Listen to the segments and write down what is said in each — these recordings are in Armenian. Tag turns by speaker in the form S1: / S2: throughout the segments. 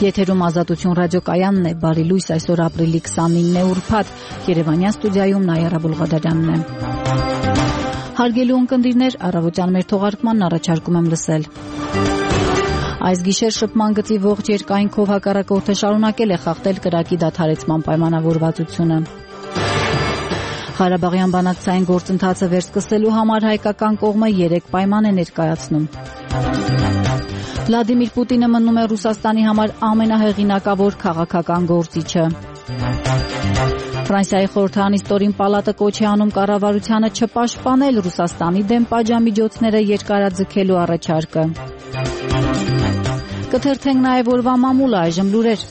S1: Եթերում Ազատություն ռադիոկայանն է, բարի լույս, այսօր ապրիլի 29 ուրբաթ, Երևանյան ստուդիայում Նայարա Բուլղադարյանն է։ Հարգելի ունկնդիրներ, առավոտյան մեր թողարկմանն առաջարկում եմ լսել։ Այս գիշեր շփման գծի ողջ երկայնքով հակառակորդը շարունակել է խախտել կրակի դադարեցման պայմանավորվածությունը։ Ղարաբաղյան բանակցային գործընթացը վերսկսելու համար հայկական կողմը 3 պայման է ներկայացնում։ Վլադիմիր Պուտինը մնում է Ռուսաստանի համար ամենահեղինակավոր քաղաքական գործիչը։ Ֆրանսիայի խորհրդարանի ստորին պալատը կոչ է անում կառավարությանը չպաշտպանել Ռուսաստանի դեմ պատժամիջոցները երկարաձգելու առաջարկը։ Կթերթենք նաև օրվա մամուլը, այժմ լուրեր։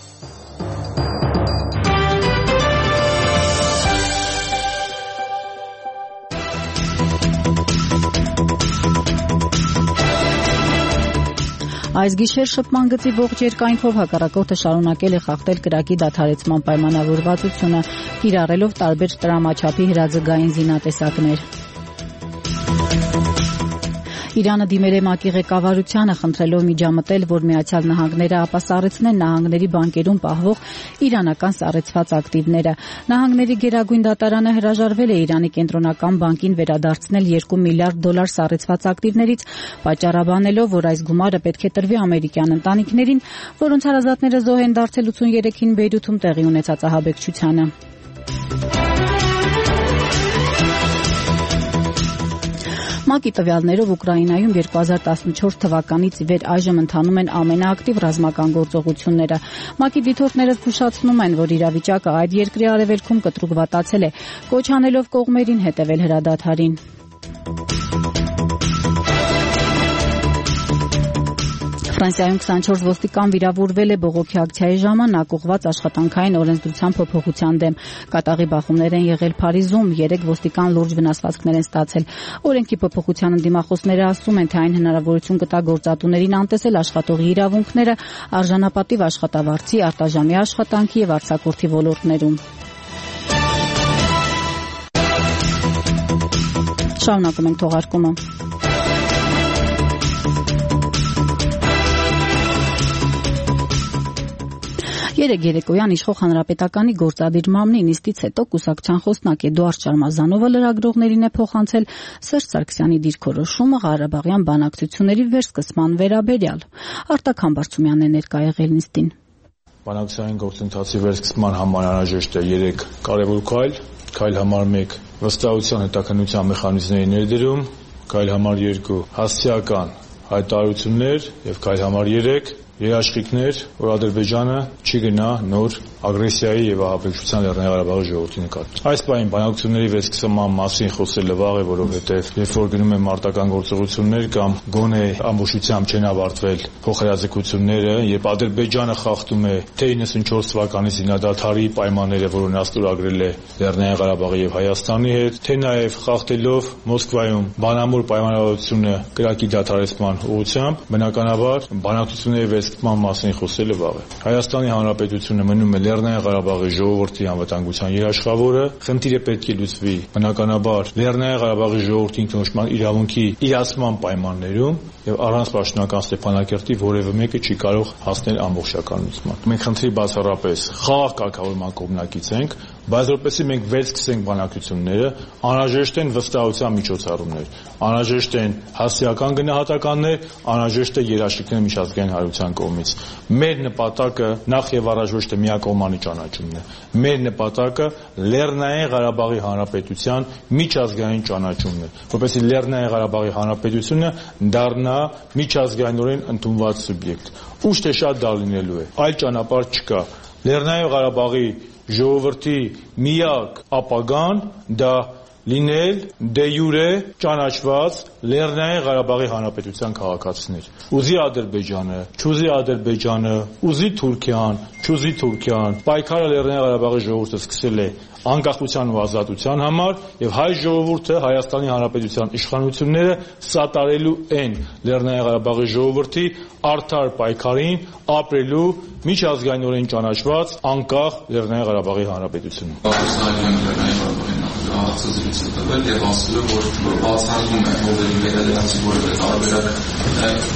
S1: Այս գիշեր շփման գծի ողջ երկայնքով հակառակորդը շարունակել է խախտել կրակի դադարեցման պայմանավորվածությունը, կիրառելով տարբեր տրամաչափի հրաձգային զինատեսակներ։ Իրանը դիմել է ՄԱԿ-ի ղեկավարությանը, խնդրելով միջամտել, որ Միացյալ Նահանգները ապասառեցնեն նահանգների բանկերում պահվող իրանական սառեցված ակտիվները։ Նահանգների գերագույն դատարանը հրաժարվել է Իրանի կենտրոնական բանկին վերադարձնել $2 միլիարդ սառեցված ակտիվներից, պատճառաբանելով, որ այս գումարը պետք է տրվի ամերիկյան ընտանիքներին, որոնց հարազատները զոհ են դարձել 83-ին Բեյրութում տեղի ունեցած ահաբեկչությանը։ ՄԱԿ-ի տվյալներով Ուկրաինայում 2014 թվականից ի վեր այժմ ընթանում են ամենաակտիվ ռազմական գործողությունները։ ՄԱԿ-ի դիտորդները զգուշացնում են, որ իրավիճակը այդ երկրի արևելքում կտրուկ վատացել է, կոչ անելով կողմերին հետևել հրադադարին։ Ֆրանսիայում 24 ոստիկան վիրավորվել է բողոքի ակցիայի ժամանակ ուղղված աշխատանքային օրենսդրության փոփոխության դեմ։ Կատաղի բախումներ են եղել Փարիզում, 3 ոստիկան լուրջ վնասվածքներ են ստացել։ Օրենքի փոփոխության ընդդիմախոսները ասում են, թե այն հնարավորություն կտա գործատուներին անտեսել աշխատողի իրավունքները արժանապատիվ աշխատավարձի, արտաժամի աշխատանքի եւ արձակուրդի ոլորտներում։ Շարունակում ենք թողարկումը։ Երեկ երեկոյան իշխող հանրապետականի գործադիր մամնի նիստից հետո կուսակցության խոսնակ Էդուարդ Շարմազանովը լրագրողներին է փոխանցել Սերժ Սարգսյանի դիրքորոշումը Ղարաբաղյան բանակցությունների վերսկսման վերաբերյալ։ Արտակ Համբարձումյանն է ներկա եղել նիստին։
S2: Բանակցային գործընթացի վերսկսման համար անհրաժեշտ է 3 կարևոր քայլ համար 1 վստահության հետաքննության մեխանիզմների ներդրում, քայլ համար 2 հասցեական հայտարարություններ եւ քայլ համար 3 երաշխիքներ, որ Ադրբեջանը չի գնա նոր ագրեսիայի եւ ահաբեկչության Լեռնային Ղարաբաղի ժողովրդի նկատմամբ։ Այս պահին բանակցությունների վերսկսման մասին խոսելը վաղ է, որովհետեւ երբ որ գնում են մարտական գործողություններ կամ գոնե ամբողջությամբ չեն ավարտվել փոխհրաձգությունները, երբ Ադրբեջանը խախտում է թե 94 թվականի զինադադարի պայմանները, որոնց աստորագրել է Լեռնային Ղարաբաղի եւ Հայաստանի հետ, թե նաեւ խախտելով Մոսկվայում բանամուր պայմանավորվածությունը կրակի դադարեցման ուղղությամբ, բնականաբար բանակցությունների վերսկսման մասին խոսելը վաղ է։ Հայաստանի Հանրապետությունը մնում է Լեռնային Ղարաբաղի ժողովրդի անվտանգության երաշխավորը, խնդիրը պետք է լուծվի բնականաբար Լեռնային Ղարաբաղի ժողովրդի ինքնորոշման իրավունքի իրացման պայմաններում եւ առանց պաշտոնական Ստեփանակերտի որևէ մեկը չի կարող հասնել ամբողջականության։ Մենք խնդրի բացառապես խաղաղ կարգավորման կողմնակից ենք, բայց որպեսզի մենք վերսկսենք բանակցությունները, անհրաժեշտ են վստահության միջոցառումներ, անհրաժեշտ են հասարակական գնահատականներ, անհրաժեշտ է երաշխիքներ միջազգային հանրության կողմից։ Մեր նպատակը նախ եւ առաջ ոչ թե միակողմանի ճանաչումն է։ Մեր նպատակը Լեռնային Ղարաբաղի Հանրապետության միջազգային ճանաչումն է, որպեսզի Լեռնային Ղարաբաղի Հանրապետությունը դառնա միջազգայինորեն ընդունված սուբյեկտ։ Ուշ թե շատ դա լինելու է։ Այլ ճանապարհ չկա։ Լեռնային Ղարաբաղի ժողովրդի միակ ապագան դա լինել դե յուրե ճանաչված Լեռնային Ղարաբաղի Հանրապետության քաղաքացիներ։ Ուզի Ադրբեջանը, չուզի Ադրբեջանը, ուզի Թուրքիան, չուզի Թուրքիան, պայքարը Լեռնային Ղարաբաղի ժողովուրդը սկսել է անկախության ու ազատության համար եւ հայ ժողովուրդը Հայաստանի Հանրապետության իշխանությունները սատարելու են Լեռնային Ղարաբաղի ժողովրդի արդար պայքարին ապրելու միջազգայինորեն ճանաչված անկախ Լեռնային Ղարաբաղի Հանրապետությունում։
S3: հարցազրույց տվել եւ ասել է, որ բացառվում է հողերի վերադրանքի որևէ տարբերակ,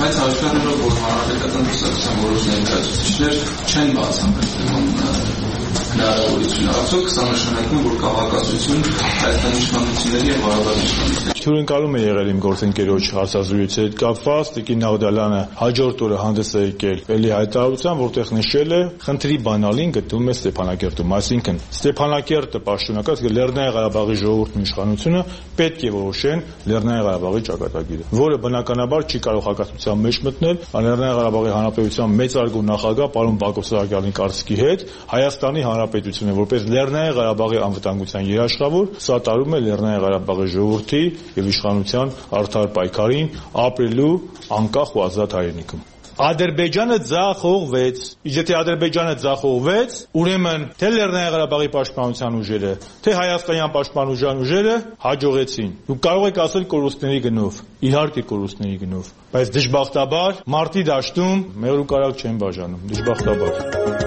S3: բայց աշխարհը որ հանրապետական կուսակցության որոշ ներկայացուցիչներ չեն բացառում հնարավորություն, արդյոք սա նշանակում որ քաղաքացիություն Հայաստանի իշխանությունների եւ Արաբական իշխանությունների
S2: Հյուրընկալում է եղել իմ գործընկերոջ հարցազրույցի հետ կապված, Տիկին Նաղդալյանը հաջորդ օրը հանդես է եկել էլի հայտարարության, որտեղ նշել է խնդրի բանալին գտնվում է Ստեփանակերտում, այսինքն Ստեփանակերտը պաշտոնական, Լեռնային Ղարաբաղի ժողովուրդն ու իշխանությունը պետք է որոշեն Լեռնային Ղարաբաղի ճակատագիրը, որը բնականաբար չի կարող հակասության մեջ մտնել Լեռնային Ղարաբաղի Հանրապետության մեծարգո նախագահ պարոն Բակո Սահակյանի կարծիքի հետ, Հայաստանի Հանրապետությունը որպես Լեռնային Ղարաբաղի անվտանգության երաշխավոր սատարում է Լեռնային Ղարաբաղի ժողովրդի եւ իշխանության արդար պայքարին ապրելու անկախ ու ազատ հայրենիքում։ Ադրբեջանը ձախողվեց։ Եթե Ադրբեջանը ձախողվեց, ուրեմն թե Լեռնային Ղարաբաղի պաշտպանության ուժերը, թե հայաստանյան պաշտպանության ուժերը հաջողեցին։ Դուք կարող եք ասել կորուստների գնով, իհարկե կորուստների գնով, բայց դժբախտաբար մարտի դաշտում մեղր ու կարակ չեն բաժանում, դժբախտաբար։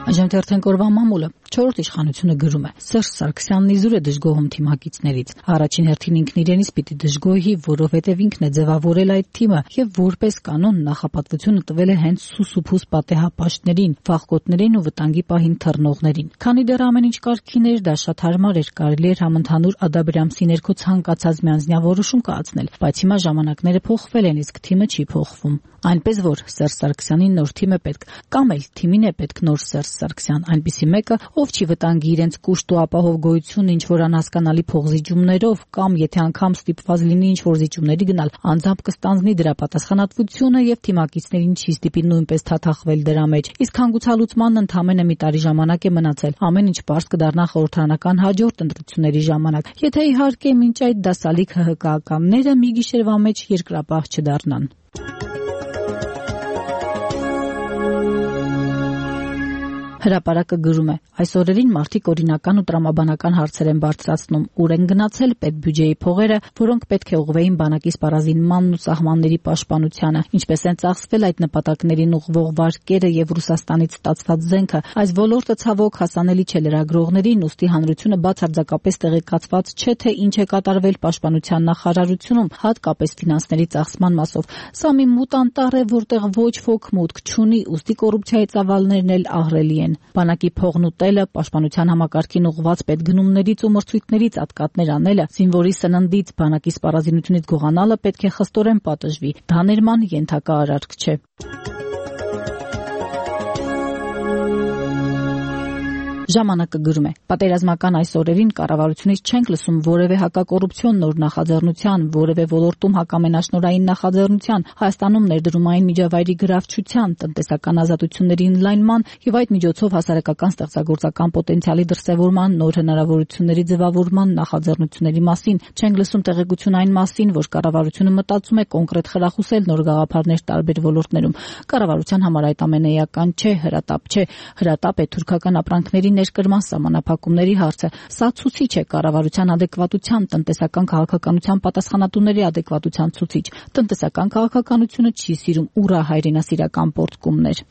S1: Այժմ օրվա մամուլը 4-րդ իշխանությունը գրում է. Սերժ Սարգսյանն իզուր է դժգոհում թիմակիցներից։ Առաջին հերթին ինքն իրենից պիտի դժգոհի, որովհետև ինքն է ձևավորել այդ թիմը եւ որպես կանոն նախապատվությունը տվել է հենց սուսուփուս պատեհապաշտներին, վախկոտներին ու վտանգի պահին թռնողներին։ Քանի դեռ ամեն ինչ կարգին էր, դա շատ հարմար էր, կարելի էր համընդհանուր Ադաբրամսի ներքո ցանկացած միանձնյա որոշում կայացնել, բայց հիմա ժամանակները փոխվել են, իսկ թիմը չի փոխվում։ Այնպես որ Սերժ Սարգսյանին նոր թիմ է պետք, կամ էլ թիմին է պետք նոր Սերժ Սարգսյան, այնպիսի մեկը, ով չի վտանգի իրենց կուշտ ու ապահով գոյությունը ինչ որ անհասկանալի փողզիջումներով, կամ եթե անգամ ստիպված լինի ինչ որ զիջումների գնալ, անձամբ կստանձնի դրա պատասխանատվությունը եւ թիմակիցներին չի ստիպի նույնպես թաթախվել դրա մեջ։ Իսկ հանգուցալուծմանն ընդամենը մի տարի ժամանակ է մնացել, ամեն ինչ պարզ կդառնա խորհրդարանական հաջորդ ընտրությունների ժամանակ, եթե իհարկե մինչ այդ դասալիկ ՀՀԿ-ականները մի գիշերվա մեջ երկրապահ չդառնան։ Հրապարակը գրում է. այս օրերին մարդիկ օրինական ու տրամաբանական հարցեր են բարձրացնում, ուր են գնացել պետբյուջեի փողերը, որոնք պետք է ուղղվեին բանակի սպառազինմանն ու սահմանների պաշտպանությանը, ինչպես են ծախսվել այդ նպատակներին ուղղվող վարկերը եւ Ռուսաստանից ստացված զենքը։ Այս ոլորտը ցավոք հասանելի չէ լրագրողներին, ուստի հանրությունը բացարձակապես տեղեկացված չէ, թե ինչ է կատարվել պաշտպանության նախարարությունում, հատկապես ֆինանսների ծախսման մասով։ Սա մի մութ անտառ է, որտեղ ոչ ոք մուտք չունի, ուստի կոռուպցիայի ծավալներն էլ ահռելի են։ Բանակի փողն ուտելը, պաշտպանության համակարգին ուղղված պետգնումներից ու մրցույթներից ատկատներ անելը, զինվորի սննդից, բանակի սպառազինությունից գողանալը պետք է խստորեն պատժվի։ Դա ներման ենթակա արարք չէ։ Ժամանակը գրում է. պատերազմական այս օրերին կառավարությունից չենք լսում որևէ հակակոռուպցիոն նոր նախաձեռնության, որևէ ոլորտում հակամենաշնորհային նախաձեռնության, Հայաստանում ներդրումային միջավայրի գրավչության, տնտեսական ազատությունների ընդլայնման եւ այդ միջոցով հասարակական ստեղծագործական պոտենցիալի դրսեւորման, նոր հնարավորությունների ձևավորման նախաձեռնությունների մասին։ Չենք լսում տեղեկություն այն մասին, որ կառավարությունը մտածում է կոնկրետ խրախուսել նոր գաղափարներ տարբեր ոլորտներում։ Կառավարության համար այդ ամենը էական չէ, հրատապ չէ։ Հրատապ է թուրքական ապրանքների ներկրման սահմանափակումների հարցը։ Սա ցուցիչ է կառավարության ադեկվատության, տնտեսական քաղաքականության պատասխանատուների ադեկվատության ցուցիչ։ Տնտեսական քաղաքականությունը չի սիրում ուռա հայրենասիրական պոռթկումներ։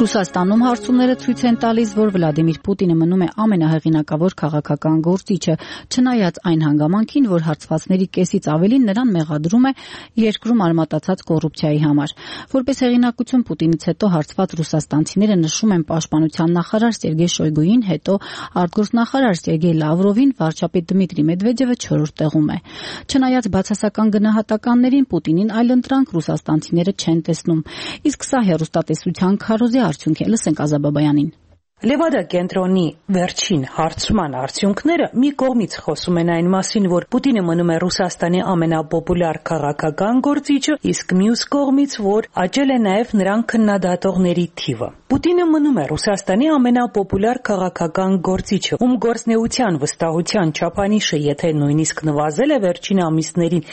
S1: Ռուսաստանում հարցումները ցույց են տալիս, որ Վլադիմիր Պուտինը մնում է ամենահեղինակավոր քաղաքական գործիչը, չնայած այն հանգամանքին, որ հարցվածների կեսից ավելին նրան մեղադրում է երկրում արմատացած կոռուպցիայի համար։ Որպես հեղինակություն Պուտինից հետո հարցված ռուսաստանցիները նշում են պաշտպանության նախարար Սերգեյ Շոյգուին, հետո արտգործնախարար Սերգեյ Լավրովին, վարչապետ Դմիտրի Մեդվեդևը 4-րդ տեղում է։ Չնայած բացասական գնահատականներին Պուտինին այլընտրանք ռուսաստանցիները չեն տեսնում։ Իսկ սա հեռուստատեսության քարոզի արդյունք է, լսենք Ազաբաբայանին։
S4: Լևադա կենտրոնի վերջին հարցման արդյունքները մի կողմից խոսում են այն մասին, որ Պուտինը մնում է Ռուսաստանի ամենապոպուլյար քաղաքական գործիչը, իսկ մյուս կողմից, որ աճել է նաև նրան քննադատողների թիվը։ Պուտինը մնում է Ռուսաստանի ամենապոպուլյար քաղաքական գործիչը, ում գործնեության վստահության չափանիշը, եթե նույնիսկ նվազել է վերջին ամիսներին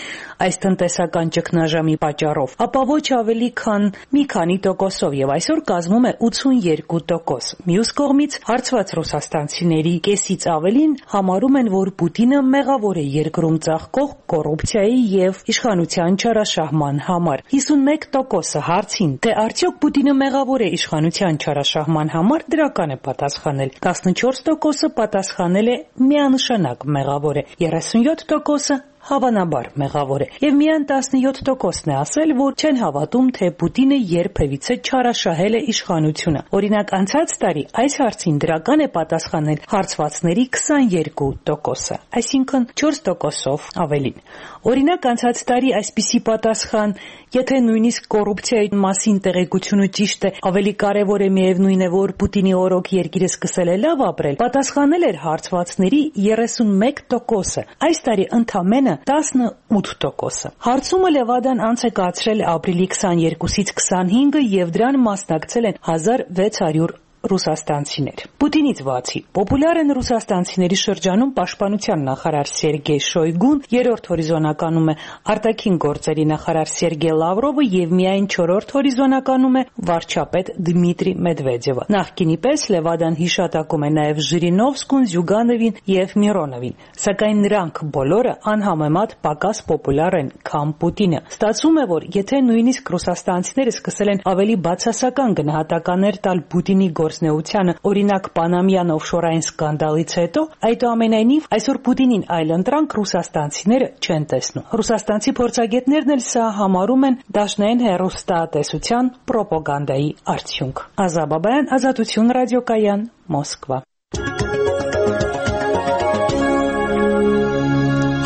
S4: այս տնտեսական ճգնաժամի պատճառով, ապա ոչ ավելի քան մի քանի տոկոսով եւ այսօր կազմում է 82%։ Մյուս կողմից հարցված ռուսաստանցիների կեսից ավելին համարում են, որ Պուտինը մեղավոր է երկրում ծաղկող կոռուպցիայի եւ իշխանության չարաշահման համար։ 51% հարցին, թե արդյոք Պուտինը մեղավոր է իշխանության չարաշահման համար, դրական է պատասխանել։ 14% պատասխանել է միանշանակ մեղավոր է, 37% հավանաբար մեղավոր է, եւ միայն 17%-ն է ասել, որ չեն հավատում, թե Պուտինը երբևիցե չարաշահել է իշխանությունը։ Օրինակ, անցած տարի այս հարցին դրական է պատասխանել հարցվածների 22%, այսինքն 4%-ով ավելին։ Օրինակ, անցած տարի այսպիսի պատասխան, եթե նույնիսկ կոռուպցիայի մասին տեղեկությունը ճիշտ է, ավելի կարևոր է միևնույն է, որ Պուտինի օրոք երկիրը սկսել է լավ ապրել, պատասխանել էր հարցվածների 31%, այս տարի ընդամենը 18%։ Հարցումը Լևադան անց է կացրել ապրիլի 22-ից 25-ը եւ դրան մասնակցել են 1600 ռուսաստանցիներ։ Պուտինից բացի, պոպուլյար են ռուսաստանցիների շրջանում պաշտպանության նախարար Սերգեյ Շոյգուն, երրորդ հորիզոնականում է արտաքին գործերի նախարար Սերգեյ Լավրովը եւ միայն չորրորդ հորիզոնականում է վարչապետ Դմիտրի Մեդվեդևը։ Նախկինի պես Լևադան հիշատակում է նաեւ Ժիրինովսկուն, Զյուգանովին եւ Միրոնովին, սակայն նրանք բոլորը անհամեմատ պակաս պոպուլյար են, քան Պուտինը։ Ստացվում է, որ եթե նույնիսկ ռուսաստանցիները սկսել են ավելի բացասական գնահատականներ տալ Պուտինի գործնեությանը, օրինակ Պանամյան օֆշորային սկանդալից հետո, այդուամենայնիվ այսօր Պուտինին այլընտրանք ռուսաստանցիները չեն տեսնում։ Ռուսաստանցի փորձագետներն էլ սա համարում են դաշնային հեռուստատեսության պրոպագանդայի արդյունք։ Ազա Բաբայան, Ազատություն ռադիոկայան, Մոսկվա։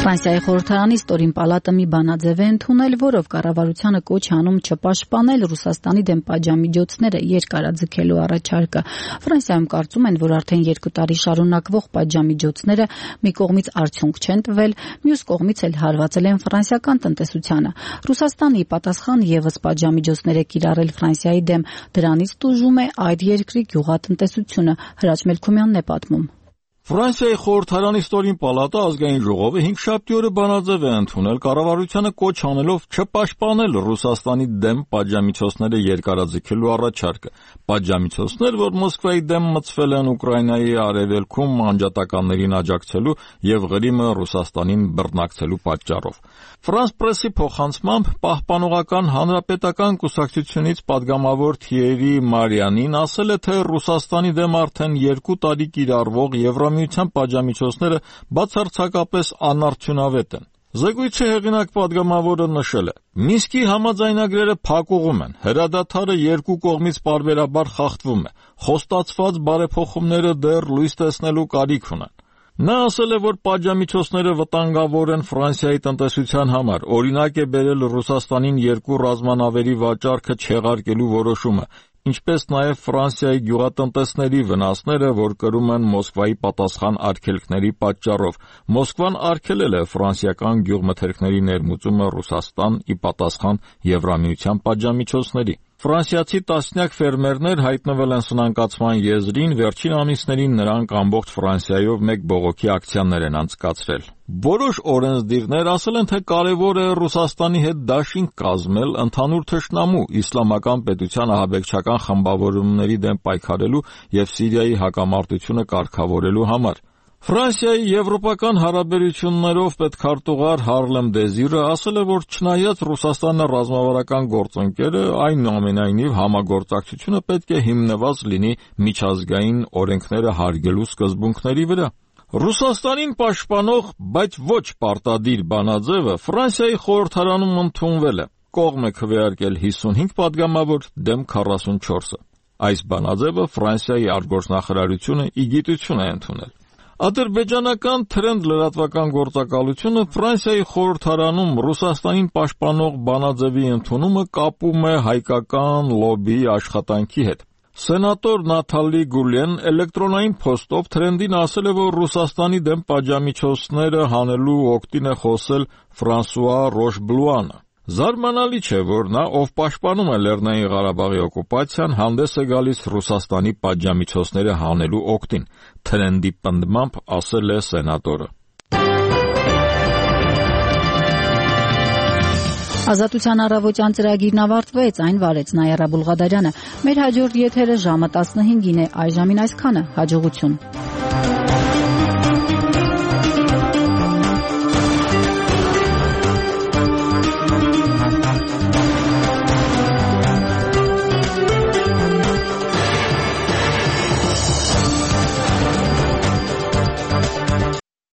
S1: Ֆրանսիայի խորհրդարանի ստորին պալատը մի բանաձև է ընդունել, որով կառավարությանը կոչ անում չպաշտպանել Ռուսաստանի դեմ պատժամիջոցները երկարաձգելու առաջարկը։ Ֆրանսիայում կարծում են, որ արդեն 2 տարի շարունակվող պատժամիջոցները մի կողմից արդյունք չեն տվել, մյուս կողմից էլ հարվածել են ֆրանսիական տնտեսությանը։ Ռուսաստանի պատասխան եւս պատժամիջոցներ է կիրառել Ֆրանսիայի դեմ, դրանից տուժում է այդ երկրի գյուղատնտեսությունը։ Հրաչ Մելքումյանն է պատմում։
S5: Ֆրանսիայի խորհրդարանի ստորին պալատը ազգային ժողովը 5 օրը բանաձև է ընդունել կառավարությանը կոչ անելով չպաշտպանել Ռուսաստանի դեմ պատժամիջոցները երկարաձգելու առաջարկը։ Պատժամիջոցներ, որ Մոսկվայի դեմ մտցվել են Ուկրաինայի արևելքում անջատականներին աջակցելու եւ Ղրիմը Ռուսաստանին բռնակցելու պատճառով։ Ֆրանս պրեսի փոխանցմամբ Պահպանողական հանրապետական կուսակցությունից падգամավոր Թիերի Մարյանին ասել է, թե Ռուսաստանի դեմ արդեն 2 տարի կիրառվող Եվրամիության պատժամիջոցները բացարձակապես անարդյունավետ են։ Զեկույցի հեղինակ падգամավորը նշել է. Մինսկի համաձայնագրերը փակուղում են, հրադադարը երկու կողմից պարբերաբար խախտվում է, խոստացված բարեփոխումները դեռ լույս տեսնելու կարիք ունեն։ Նա ասել է, որ պատժամիջոցները վտանգավոր են Ֆրանսիայի տնտեսության համար, օրինակ է բերել Ռուսաստանին 2 ռազմանավերի վաճառքը չեղարկելու որոշումը, ինչպես նաև Ֆրանսիայի գյուղատնտեսների վնասները, որ կրում են Մոսկվայի պատասխան արգելքների պատճառով։ Մոսկվան արգելել է ֆրանսիական գյուղմթերքների ներմուծումը Ռուսաստան ի պատասխան Եվրամիության պատժամիջոցների։ Ֆրանսիացի տասնյակ ֆերմերներ հայտնվել են սնանկացման եզրին, վերջին ամիսներին նրանք ամբողջ Ֆրանսիայով մեկ բողոքի ակցիաներ են անցկացրել։ Որոշ օրենսդիրներ ասել են, թե կարևոր է Ռուսաստանի հետ դաշինք կազմել ընդհանուր թշնամու իսլամական պետության ահաբեկչական խմբավորումների դեմ պայքարելու եւ Սիրիայի հակամարտությունը կարգավորելու համար։ Ֆրանսիայի եվրոպական հարաբերություններով պետքարտուղար Հարլեմ Դեզիրը ասել է, որ չնայած Ռուսաստանը ռազմավարական գործընկեր է, այնուամենայնիվ համագործակցությունը պետք է հիմնված լինի միջազգային օրենքները հարգելու սկզբունքների վրա։ Ռուսաստանին պաշտպանող, բայց ոչ պարտադիր բանաձևը Ֆրանսիայի խորհրդարանում ընդունվել է։ Կողմ է քվեարկել 55 падգամավոր դեմ 44-ը։ Այս բանաձևը Ֆրանսիայի արտգործնախարարությունը ի գիտություն է ընդունել։ Ադրբեջանական Թրենդ լրատվական գործակալությունը Ֆրանսիայի խորհրդարանում Ռուսաստանին պաշտպանող բանաձևի ընդունումը կապում է հայկական լոբբիի աշխատանքի հետ։ Սենատոր Նաթալի Գուլեն էլեկտրոնային փոստով Թրենդին ասել է, որ Ռուսաստանի դեմ պատժամիջոցները հանելու օգտին է խոսել Ֆրանսուଆ Ռոշբլուանը։ Զարմանալի չէ, որ նա, ով պաշտպանում է Լեռնային Ղարաբաղի օկուպացիան, հանդես է գալիս Ռուսաստանի պատժամիջոցները հանելու օգտին, Թրենդի պնդմամբ ասել է սենատորը։
S1: Ազատության առավոտյան ծրագիրն ավարտվեց, այն վարեց Նայարա Բուլղադարյանը։ Մեր հաջորդ եթերը ժամը 15-ին է, այժմին այսքանը, հաջողություն։